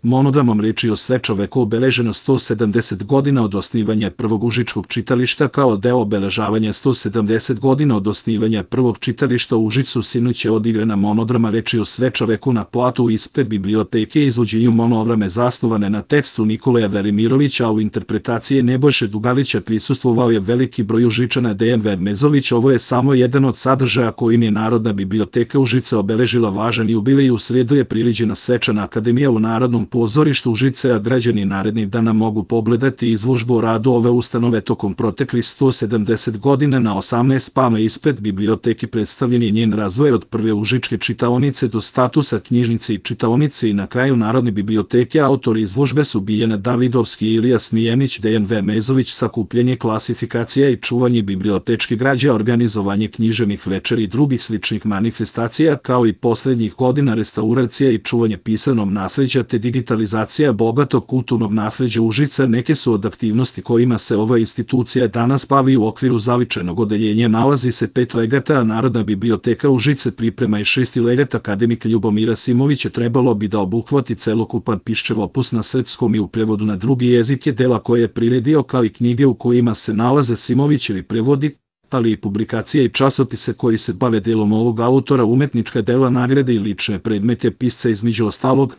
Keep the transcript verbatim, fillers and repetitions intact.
Monogramom reči o Svečoveku obeleženo sto sedamdeset godina od osnivanja prvog užičkog čitališta kao deo obeležavanja sto sedamdeset godina od osnivanja prvog čitališta u Užicu. Sinoć je odigrana monograma reči o Svečoveku na platu ispred biblioteke. Izvođenju monograme zasnovane na tekstu Nikolaja Velimirovića, a u interpretaciji Nebojše Dugalića prisustvovao je veliki broj Užičana. Dejan Vermezović. Ovo je samo jedan od sadržaja kojim je Narodna biblioteka Užice obeležila važan jubilej. U srijedu je priređena svečana akademija u Narodnom pozorištu Užice, a građani narednih dana mogu pogledati izložbu o radu ove ustanove tokom proteklih sto sedamdeset godina. Na osamnaest pama ispred biblioteke predstavljen je njen razvoj od prve užičke čitaonice do statusa knjižnice i čitaonice i na kraju Narodne biblioteke. Autori izložbe su Biljana Davidovski i Ilija Smijenić. Dejan Vermezović. Sakupljanje, klasifikacija i čuvanje bibliotečke građe, organizovanje književnih večeri i drugih sličnih manifestacija, kao i poslednjih godina restauracija i čuvanje pisanog nasleđa te digitalizacija bogatog kulturnog nasleđa Užica neke su od aktivnosti kojima se ova institucija danas bavi. U okviru zavičajnog odeljenja nalazi se pet legata, a Narodna biblioteka Užice priprema i šesti legat. Akademika Ljubomira Simovića trebalo bi da obuhvati celokupan piščev opus na srpskom i u prevodu na drugi jezike, dela koje je priredio kao i knjige u kojima se nalaze Simovićevi prevodi, ali i publikacije i časopise koji se bave delom ovog autora, umetnička dela, nagrade i lične predmete pisca. Između ostalog,